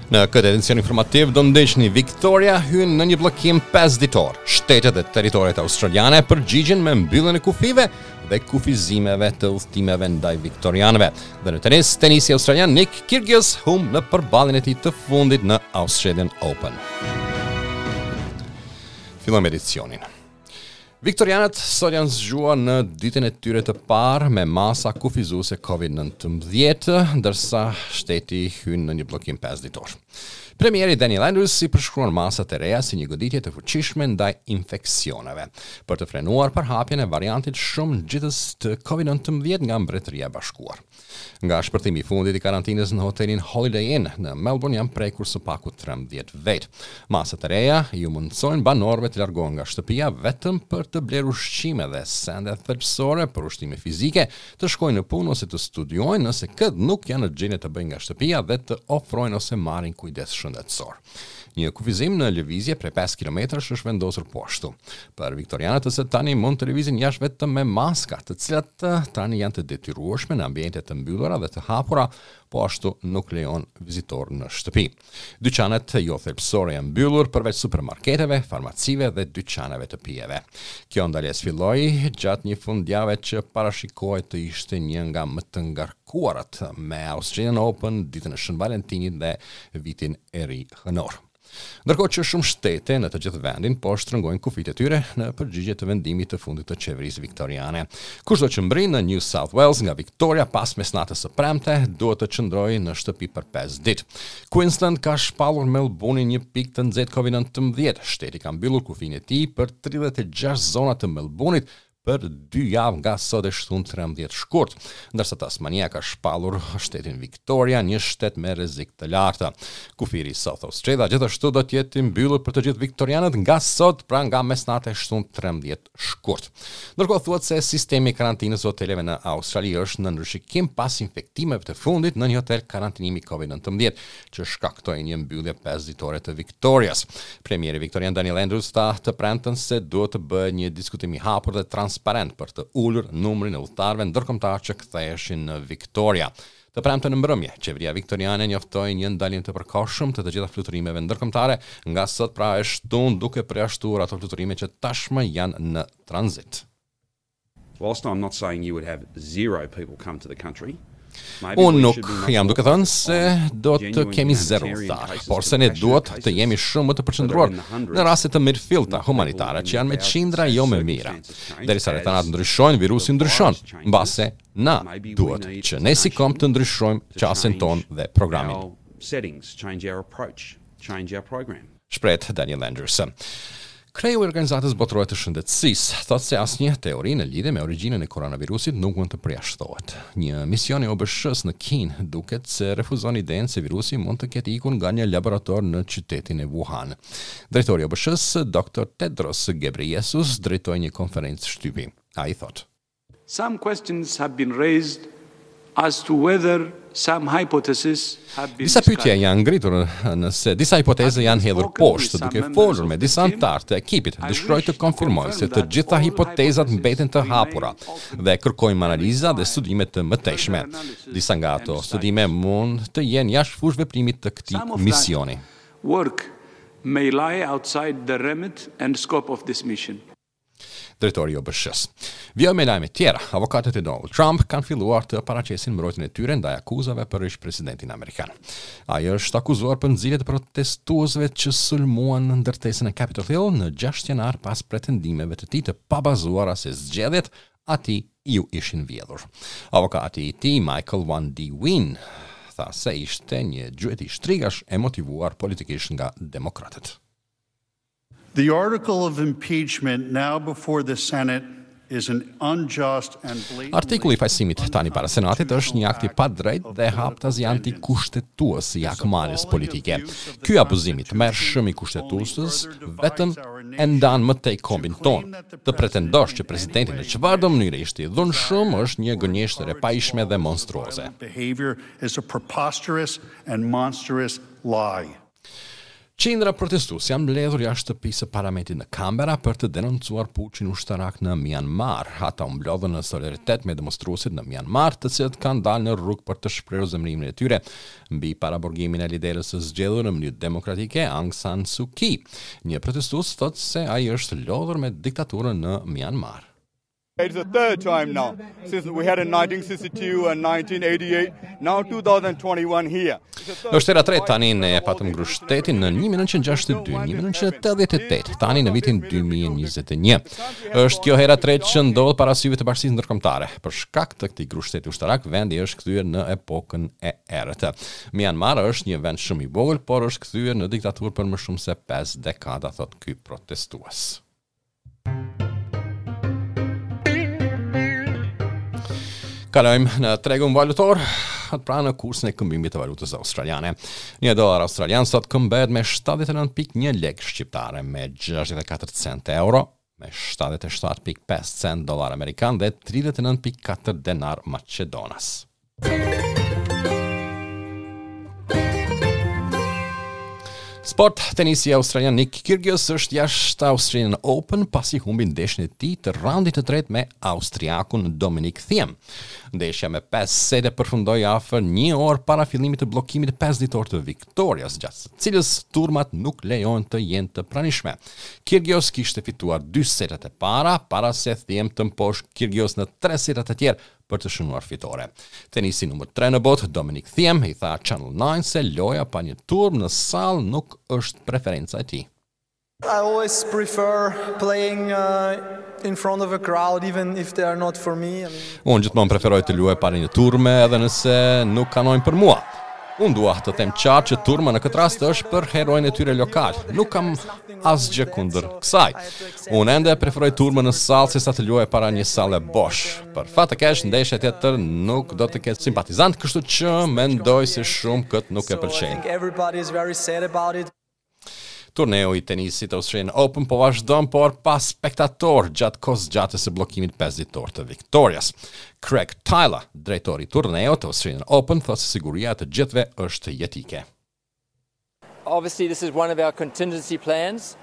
Në këtë edicion informativ do ndiqni Victoria hyn në një bllokim 5 ditor. Shtetet dhe territoret australiane përgjigjen me mbylljen e kufijve dhe kufizimeve të udhëtimeve ndaj viktorianëve. Dhe në tenis, tenisti australian Nick Kyrgios humb në përballjen e tij të fundit në Australian Open. Fillojmë edicionin. Viktorianët sot janë zgjuar në ditën e tyre të parë me masa kufizuese COVID-19, ndërsa shteti hyn në një bllokim 5 ditor. Premieri Daniel Andrews i përshkruan masat e reja si një goditje të fuqishme ndaj infeksioneve, për të frenuar përhapjen e variantit shumë ngjitës të COVID-19 nga Mbretëria e Bashkuar. Nga shpërthimi i fundit i karantinës në hotelin Holiday Inn në Melbourne janë prekur së paku 13 vetë. Masat e reja iu mundësojnë banorëve të largohen nga shtëpia vetëm për të blerë ushqime dhe sende thelbësore për ushtrime fizike, të shkojnë në punë ose të studiojnë nëse këtë nuk janë në gjendje të bëjnë nga shtëpia dhe të ofrojnë ose marrin kujdes shëndetësor. Një kufizim në lëvizje prej 5 kilometrash është vendosur po ashtu. Për viktorianët se tani mund të lëvizin jashtë vetëm me maska, të cilat eh, tani janë të detyrueshme në ambiente të mbyllura dhe të hapura, po ashtu nuk lejon vizitor në shtëpi. Dyqanet jo thelbësore janë mbyllur përveç supermarketeve, farmacive dhe dyqaneve të pijeve. Kjo ndalesë filloi gjatë një fundjave që parashikohet të ishte një nga më të ngarkuarat me Australian Open, ditën e Shën Valentinit dhe vitin e ri hënor. Ndërkohë që shumë shtete në të gjithë vendin po shtrëngojnë kufijtë e tyre në përgjigje të vendimit të fundit të qeverisë viktoriane. Kushdo që mbërrin në New South Wales nga Victoria pas mesnatës së premte duhet të qëndrojë në shtëpi për 5 ditë. Queensland ka shpallur Melbourne-in një pikë të nxehtë COVID-19. Shteti ka mbyllur kufijnë e tij për 36 zona të Melbourne-it për dy javë nga sot e shtunë 13 shkurt, ndërsa Tasmania ka shpallur shtetin Victoria një shtet me rrezik të lartë. Kufiri i South Australia gjithashtu do të jetë i mbyllur për të gjithë viktorianët nga sot, pra nga mesnata e shtunë 13 shkurt. Ndërkohë thuhet se sistemi i karantinës së hoteleve në Australi është në rishikim pas infektimeve të fundit në një hotel karantinimi COVID-19 që shkaktoi një mbyllje 5 ditore të Victorias. Premieri viktorian Daniel Andrews tha të premten se duhet të bëhet një diskutim i hapur dhe transparent për të ulur numrin e udhëtarëve ndërkombëtar që ktheheshin në Victoria. Të premten në mbrëmje, qeveria viktoriane njoftoi një ndalim të përkohshëm të të gjitha fluturimeve ndërkombëtare nga sot pra e shtunë duke përjashtuar ato fluturime që tashmë janë në tranzit. Whilst I'm not saying you would have zero people come to the country, Unë nuk jam duke thënë se do të kemi zero udhëtar, por se ne duhet të jemi shumë më të përqendruar në raste të mirëfillta humanitare që janë me qindra jo me mijëra. Derisa rrethanat ndryshojnë, virusi ndryshon. Mbase na duhet që ne si komb të ndryshojmë qasjen tonë dhe programin. Settings, change our approach, change our program. Shprehet Daniel Andrews. Kreu i Organizatës Botërore të Shëndetësisë thotë se asnjë teori në lidhje me origjinën e koronavirusit nuk mund të përjashtohet. Një mision i OBSH-së në Kinë duket se refuzon idenë se virusi mund të ketë ikur nga një laborator në qytetin e Wuhan. Drejtori i OBSH-së, Dr. Tedros Ghebreyesus, drejtoi një konferencë shtypi. Ai thotë: Some questions have been raised as to whether some hypotheses have been Disa pyetje janë ngritur nëse disa hipoteza janë hedhur poshtë, duke folur me disa anëtarë të ekipit, dëshiroj të konfirmoj se të gjitha hipotezat mbeten të hapura dhe kërkojmë analiza dhe studime të mëtejshme. Disa nga ato studime mund të jenë jashtë fushëveprimit të këtij misioni. Work may lie outside the remit and scope of this mission. Drejtori i OBSH-së. Vijojmë me lajme tjera. Avokatët e Donald Trump kanë filluar të paraqesin mbrojtjen e tyre ndaj akuzave për ish-presidentin amerikan. Ai është akuzuar për nxitje të protestuesve që sulmuan ndërtesën e Capitol Hill në 6 janar pas pretendimeve të tij të pabazuara se zgjedhjet atij iu ishin vjedhur. Avokati i tij, Michael Van De Winne, tha se ishte një gjueti shtrigash e motivuar politikisht nga demokratët. The article of impeachment now before the Senate is an unjust and blatantly Artikulli i fajësimit tani para Senatit është një akt i padrejtë dhe haptazi antikushtetues i hakmarrjes politike. Ky abuzim i tmerrshëm i Kushtetutës vetëm e ndan më tej kombin tonë. Të pretendosh që presidenti në çfarëdo mënyre ishte i dhunshëm është një gënjeshtër e pahijshme dhe monstruoze. Behavior is a preposterous and monstrous lie. Qindra protestues janë mbledhur jashtë shtëpisë së parlamentit në Canberra për të denoncuar puçin ushtarak në Myanmar. Ata u mblodhën në solidaritet me demonstruesit në Myanmar, të cilët kanë dalë në rrugë për të shprehur zemërimin e tyre mbi paraburgimin e lideres së zgjedhur në mënyrë demokratike Aung San Suu Kyi. Një protestues thotë se ai është lodhur me diktaturën në Myanmar. It's the third time now since we had in 1962 and 1988, now 2021 here. Është hera e tretë tani ne e patëm grusht shtetin në 1962, 1988, tani në vitin 2021. Është kjo hera e tretë që ndodh para syve të bashkësisë ndërkombëtare. Për shkak të këtij grusht shteti ushtarak, vendi është kthyer në epokën e errët. Myanmar është një vend shumë i vogël, por është kthyer në diktaturë për më shumë se 5 dekada, thotë ky protestues. Kalojmë në tregun valutor, pra në kursin e këmbimit të valutës australiane. Një dollar australian sot këmbehet me 79.1 lekë shqiptare, me 64 cent euro, me 77.5 cent dollar amerikan dhe 39.4 denar maqedonas. Sport, tenisti australian Nick Kyrgios është jashtë Australian Open pasi humbi ndeshjen e tij të raundit të tretë me austriakun Dominic Thiem. Ndeshja me 5 sete përfundoi afër një orë para fillimit të bllokimit 5 ditor të Victorias, gjatë së cilës turmat nuk lejohen të jenë të pranishme. Kyrgios kishte fituar dy setet e para para se Thiem të mposhtë Kyrgios në tre setat e tjerë për të shënuar fitore. Tenisti numër 3 në botë, Dominic Thiem, i tha Channel 9 se loja pa një turmë në sallë nuk është preferenca e tij. I always prefer playing uh, in front of a crowd even if they are not for me. I mean, Unë gjithmonë preferoj të luaj para një turme edhe nëse nuk kanojnë për mua. Unë dua të them qartë që turma në këtë rast është për heroin e tyre lokal. Nuk kam asgjë kundër kësaj. Unë ende preferoj turmën në sallë sesa të luaj para një salle bosh. Për fat të keq, ndeshja tjetër nuk do të ketë simpatizant, kështu që mendoj se shumë këtë nuk e pëlqejnë. Turneu i tenisit Australian Open po vazhdon, por pa spektatorë gjatë kohëzgjatjes së bllokimit 5 ditor të Victorias. Craig Tyler, drejtori i turneut të Australian Open, thotë se siguria e të gjithëve është jetike. Obviously this is one of our contingency plans.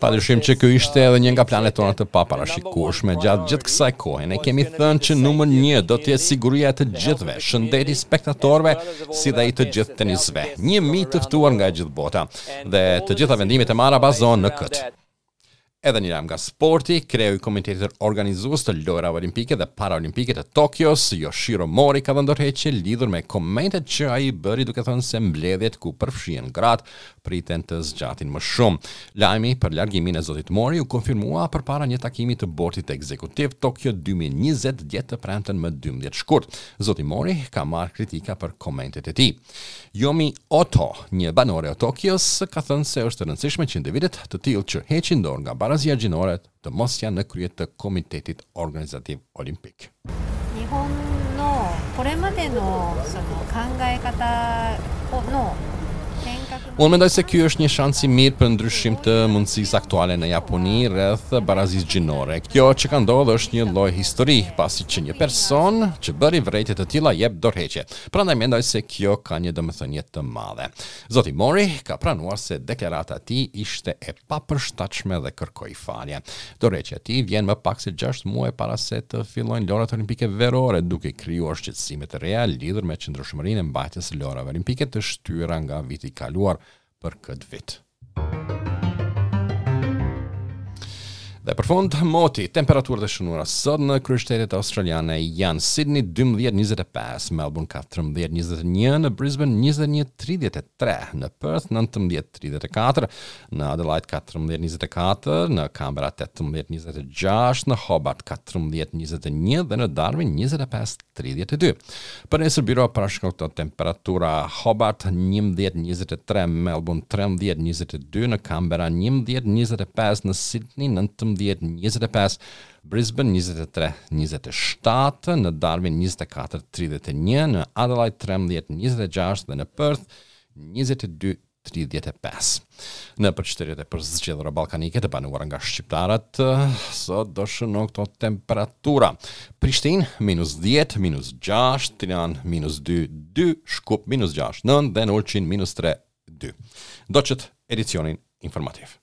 Padyshim që ky ishte edhe një nga planet tona të paparashikueshme gjatë gjithë kësaj kohe. Ne kemi thënë që numër 1 do të jetë siguria e të gjithëve, shëndeti i spektatorëve si dhe i të gjithë tenistëve. 1000 të ftuar nga e gjithë bota dhe të gjitha vendimet e marra bazohen në këtë. Edhe një lajm nga sporti, kreu i komitetit organizues të Lojërave Olimpike dhe Paraolimpike të Tokios, Yoshiro Mori ka dhënë dorëheqje lidhur me komentet që ai bëri duke thënë se mbledhjet ku përfshihen gratë priten të zgjatin më shumë. Lajmi për largimin e zotit Mori u konfirmua përpara një takimi të bordit ekzekutiv Tokyo 2020 dje të premten më 12 shkurt. Zoti Mori ka marrë kritika për komentet e tij. Yomi Oto, një banore e Tokios, ka thënë se është e rëndësishme që individët të tillë që heqin dorë nga barazia gjinore të mos janë në krye të Komitetit Organizativ Olimpik. Unë mendoj se ky është një shans i mirë për ndryshim të mendësisë aktuale në Japoni rreth barazisë gjinore. Kjo që ka ndodhur është një lloj histori, pasi që një person që bëri vërejtje të tilla jep dorëheqje. Prandaj mendoj se kjo ka një domethënie të madhe. Zoti Mori ka pranuar se deklarata e tij ishte e papërshtatshme dhe kërkoi falje. Dorëheqja e tij vjen më pak se 6 muaj para se të fillojnë Lojërat Olimpike Verore, duke krijuar shqetësime të reja lidhur me qëndrueshmërinë e mbajtjes së Lojërave Olimpike të shtyra nga viti i kaluar për këtë vit. Dhe për fund, moti, temperaturat e shënuara sot në kryeqytetet australiane janë Sydney 12.25, Melbourne 14.21, në Brisbane 21.33, në Perth 19.34, në Adelaide 14.24, në Canberra 18.26, në Hobart 14.21 dhe në Darwin 25.32. Për nesër byroja parashikon këto temperatura Hobart 11.23, Melbourne 13.22, në Canberra 11.25, në Sydney 19.25, Brisbane 23.27, në Darwin 24.31, në Adelaide 13.26 dhe në Perth 22 35. Nëpër qytetet e përzgjedhura ballkanike të banuara nga shqiptarët, sot do shënohen këto temperatura. Prishtinë, minus 10, minus 6, Tiranë, minus 2, 2, Shkup, minus 6, 9 dhe në Ulqin, minus 3, 2. 2. Ndoqët edicionin informativ.